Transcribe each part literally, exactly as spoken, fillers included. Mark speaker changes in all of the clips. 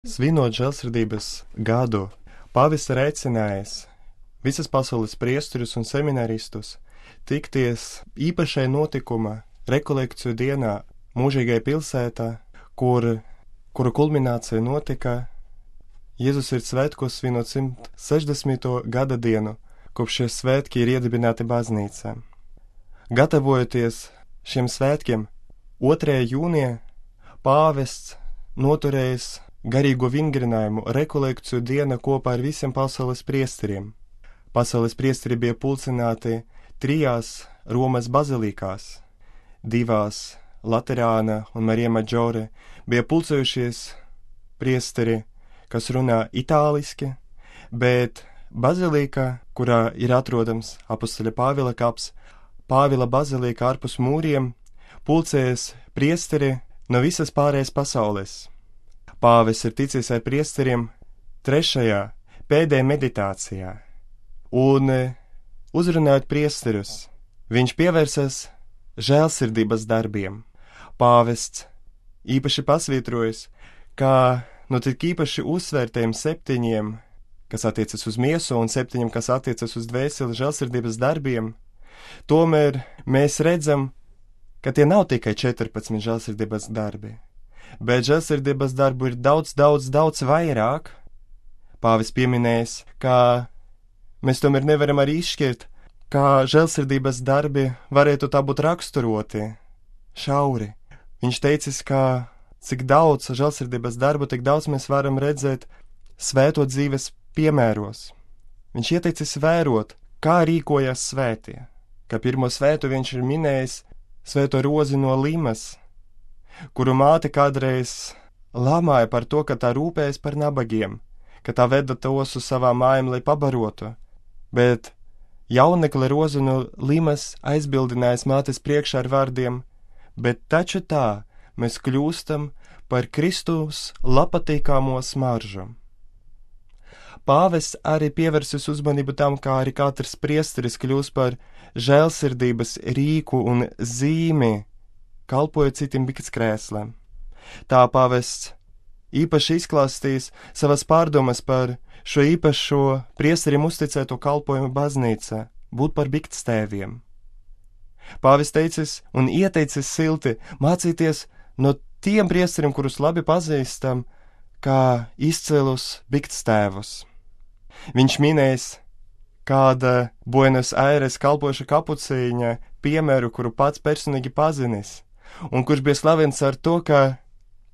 Speaker 1: Svinot žēlsirdības gadu, pāvests ir aicinājis visas pasaules priesterus un seminaristus tikties īpašai notikuma rekolekciju dienā mūžīgai pilsētā, kur, kura kulminācija notika Jēzus ir svētkos svinot simt sešdesmito gada dienu, kopš šie svētki ir iedibināti baznīcā. Gatavojoties šiem svētkiem, otrajā jūnijā pāvests noturējis garīgo vingrinājumu rekolekciju dienu kopā ar visiem pasaules priesteriem. Pasaules priesteri bija pulcināti trijās Romas bazilikās, divās Laterāna un Marija Maģore, bija pulcējušies priesteri, kas runā itāliski, bet bazilika, kurā ir atrodams apostoļa Pāvila kaps, Pāvila bazilika ārpus mūriem, pulcējas priesteri no visas pārējās pasaules. Pāvests ir ticies ar priesteriem trešajā, pēdējā meditācijā, un uzrunājot priesterus, viņš pievērsas žēlsirdības darbiem. Pāvests īpaši pasvītrojas, kā no tik īpaši uzsvērtiem septiņiem, kas attiecas uz miesu, un septiņiem, kas attiecas uz dvēseli žēlsirdības darbiem, tomēr mēs redzam, ka tie nav tikai četrpadsmit žēlsirdības darbi, bet žēlsirdības darbu ir daudz, daudz, daudz vairāk. Pāvests pieminējis, ka mēs tomēr nevaram arī izšķirt, kā žēlsirdības darbi varētu tā būt raksturoti šauri. Viņš teicis, ka cik daudz žēlsirdības darbu, tik daudz mēs varam redzēt svēto dzīves piemēros. Viņš ieteicis vērot, kā rīkojas svētie, ka pirmo svētu viņš ir minējis svēto Rozi no Limas, kuru māte kādreiz lamāja par to, ka tā rūpējas par nabagiem, ka tā veda tos uz savām mājām, lai pabarotu, bet jaunekle Rozi no Limas aizbildinājis mātes priekšā ar vārdiem: bet taču tā mēs kļūstam par Kristus labpatīkamo smaržu. Pāvests arī pievērsis uzmanību tam, kā arī katrs priesteris kļūst par žēlsirdības rīku un zīmi, kalpojot citiem biktskrēsliem. Tā pāvests īpaši izklāstīs savas pārdomas par šo īpašo priesterim uzticēto kalpojumu baznīcā, būt par biktstēviem. Pāvests teicis un ieteicis silti mācīties no tiem priesteriem, kurus labi pazīstam, kā izcilus biktstēvus. Viņš minēs kāda Buenos Aires kalpoša kapucīņa piemēru, kuru pats personīgi pazinis, un kurš bija slavens ar to, ka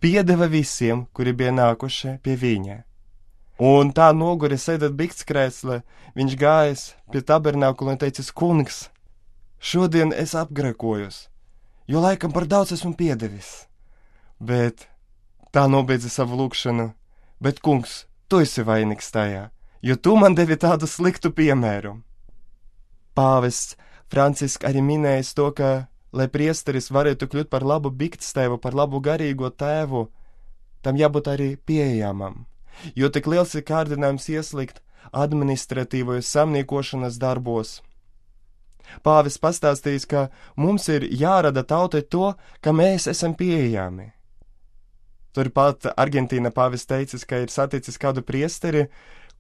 Speaker 1: piedeva visiem, kuri bija nākuši pie viņa. Un tā noguri sēdot biktskrēslē, viņš gājis pie tabernākula un teicis: kungs, šodien es apgrekojos, jo laikam par daudz esmu piedevis. Bet tā nobeidza savu lūgšanu: bet, kungs, tu esi vainīgs tajā, jo tu man devi tādu sliktu piemēru. Pāvests Francisks arī minējis to, ka, lai priesteris varētu kļūt par labu biktstēvu, par labu garīgo tēvu, tam jābūt arī pieejamam, jo tik liels ir kārdinājums ieslīgt administratīvajos samniekošanas darbos. Pāvests pastāstījis, ka mums ir jārada tautai to, ka mēs esam pieejami. Turpat Argentīna pāvests teicis, ka ir saticis kādu priesteri,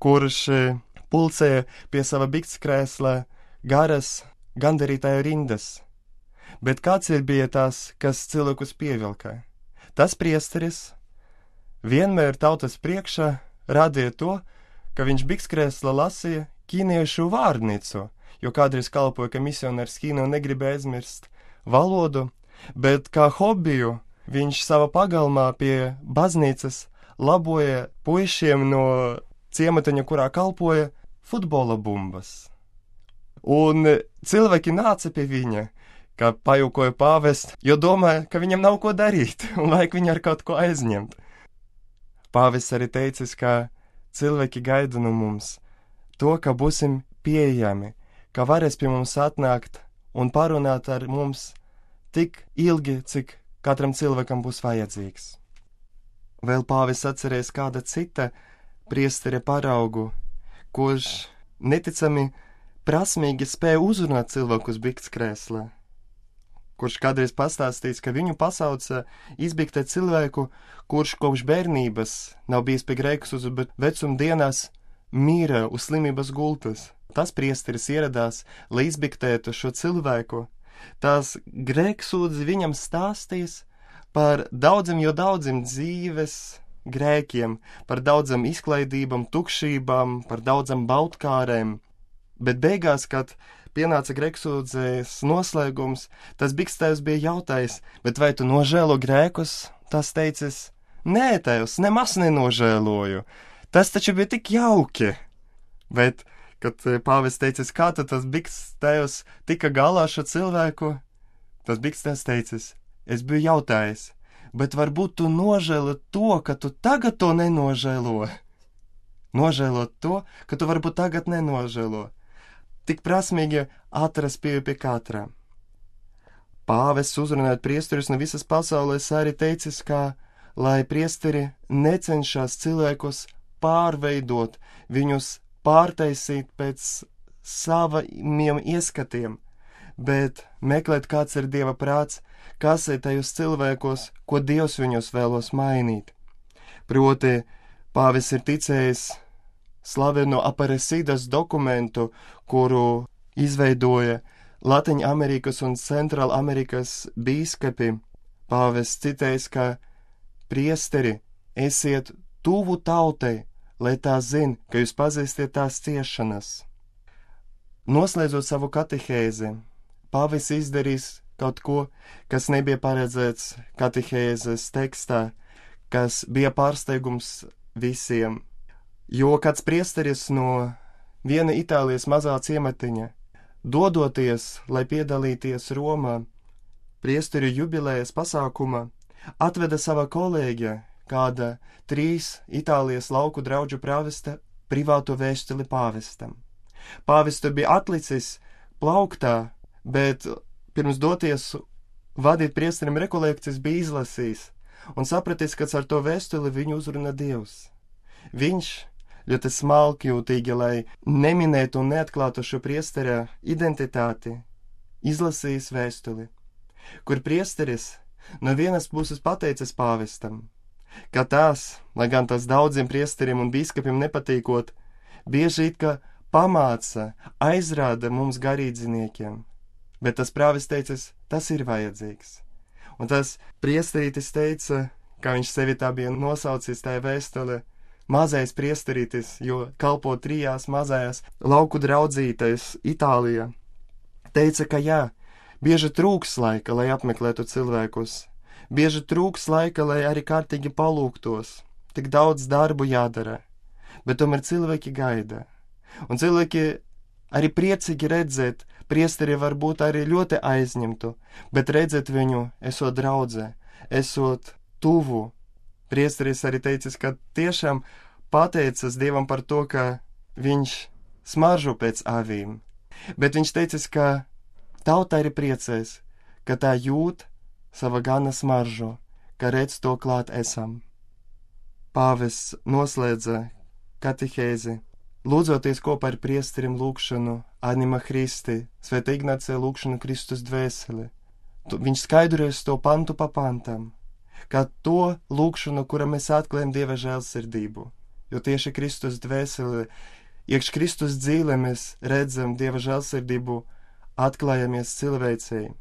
Speaker 1: kurš pulcēja pie sava biktskrēsla garas gandarītāju rindas. Bet kāds ir bija tas, kas cilvēkus pievilka? Tas priesteris vienmēr tautas priekšā rādīja to, ka viņš biktskrēsla lasīja ķīniešu vārnīcu, jo kādreiz kalpoja, ka misionārs Ķīnā negribēja aizmirst valodu, bet kā hobiju viņš savā pagalmā pie baznīcas laboja puišiem no ciematiņa, kurā kalpoja, futbola bumbas. Un cilvēki nāca pie viņa, kā pajūkoja pāvests, jo domāja, ka viņam nav ko darīt un vajag viņu ar kaut ko aizņemt. Pāvests arī teicis, ka cilvēki gaida no mums to, ka būsim pieejami, ka varēs pie mums atnākt un parunāt ar mums tik ilgi, cik katram cilvēkam būs vajadzīgs. Vēl pāvests atcerēs kāda cita priestere paraugu, kurš neticami prasmīgi spēja uzrunāt cilvēkus biktskrēslā, kurš kādreiz pastāstījis, ka viņu pasauca izbiktēt cilvēku, kurš kopš bērnības nav bijis pie grēksūdzes, bet vecuma dienās mīra uz slimības gultas. Tas priesteris ieradās, lai izbiktētu šo cilvēku. Tās grēksūdzes viņam stāstīs par daudziem, jo daudziem dzīves grēkiem, par daudzam izklaidībām, tukšībām, par daudzam baudkārēm. Bet beigās, kad pienāca grēksūdzes noslēgums, tas bikstēvs bija jautājis, bet vai tu nožēlo grēkus? Tas teicis, nē, tēvs, nemaz nenožēloju. Tas taču bija tik jauki. Bet, kad pāvests teicis, kā tad tas bikstēvs tika galā šo cilvēku, tas bikstēvs teicis, es biju jautājis, bet varbūt tu nožēlo to, ka tu tagad to nenožēlo. Nožēlot to, ka tu varbūt tagad nenožēlo. Tik prasmīgi atrast pieeju pie katra. Pāvests uzrunājot priesterus no visas pasaules arī teicis, ka, lai priesteri necenšas cilvēkus pārveidot, viņus pārtaisīt pēc saviem ieskatiem, bet meklēt, kāds ir Dieva prāts, kas ir tajos cilvēkos, ko Dievs viņus vēlos mainīt. Proti, pāvests ir ticējis slaveno Aparecidas dokumentu, kuru izveidoja Latvijas Amerikas un Centrāla Amerikas bīskapi. Pāvests citējis, ka priesteri esiet tuvu tautai, lai tā zina, ka jūs pazīstiet tās ciešanas. Noslēdzot savu katehēzi, pāvests izdarīs kaut ko, kas nebija paredzēts katehēzes tekstā, kas bija pārsteigums visiem. Jo kāds priesteris no viena Itālijas mazā ciematiņa, dodoties, lai piedalīties Romā, priesteru jubilējas pasākumā, atveda sava kolēģa, kāda trīs Itālijas lauku draudžu prāvesta, privātu vēstuli pāvestam. Pāvestu bija atlicis plauktā, bet pirms doties vadīt priesterim rekolekcijas bija izlasījis un sapratis, ka ar to vēstuli viņu uzruna Dievs. Viņš ļoti smalkjūtīgi, lai neminētu un neatklātu šo priestera identitāti, izlasījis vēstuli, kur priesteris no vienas puses pateicis pāvestam, ka tās, lai gan tas daudziem priesteriem un bīskapiem nepatīkot, bieži it kā pamāca, aizrāda mums garīdziniekiem, bet tas prāvis teicis, tas ir vajadzīgs. Un tas priesterītis teica, kā viņš sevi tā bija nosaucis tajā vēstulē, mazais priesterītis, jo kalpo trijās mazajās lauku draudzītais Itālijā, teica, ka jā, bieži trūks laika, lai apmeklētu cilvēkus, bieži trūks laika, lai arī kārtīgi palūgtos, tik daudz darbu jādara, bet tomēr cilvēki gaida. Un cilvēki arī priecīgi redzēt, priesteri varbūt arī ļoti aizņemtu, bet redzēt viņu, esot draudzē, esot tuvu. Priesteris arī teicis, ka tiešām pateicas Dievam par to, ka viņš smaržo pēc avīm, bet viņš teicis, ka tauta arī priecēs, ka tā jūt sava gana smaržo, ka redz to klāt esam. Pāvests noslēdza katehēzi, lūdzoties kopā ar priesterim lūgšanu Anima Christi, Svētā Ignācija lūgšanu Kristus dvēseli. Viņš skaidrojas to pantu pa pantam, kā to lūgšanu, kura mēs atklājam Dieva žēlsirdību, jo tieši Kristus dvēseli, iekš Kristus dzīvē mēs redzam Dieva žēlsirdību, atklājamies cilvēcei.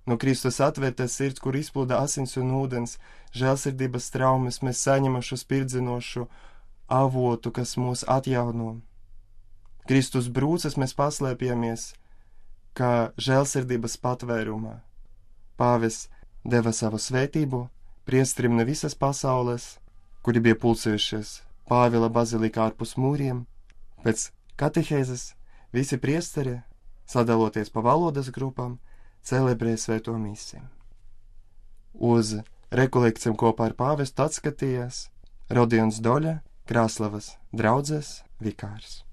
Speaker 1: No Kristus atvērtas sirds, kur izplūda asins un ūdens, žēlsirdības traumas, mēs saņemam šo spirdzinošu avotu, kas mūs atjauno. Kristus brūces mēs paslēpjamies, kā žēlsirdības patvērumā. Pāvests deva savu svētību priesterim no visas pasaules, kuri bija pulcējušies Pāvila bazilikā ārpus mūriem. Pēc katehēzes visi priesteri, sadaloties pa valodas grupām, celebrē svēto misiju. Uz rekolekcijām kopā ar pāvestu atskatījās Rodions Doļa, Krāslavas draudzes vikārs.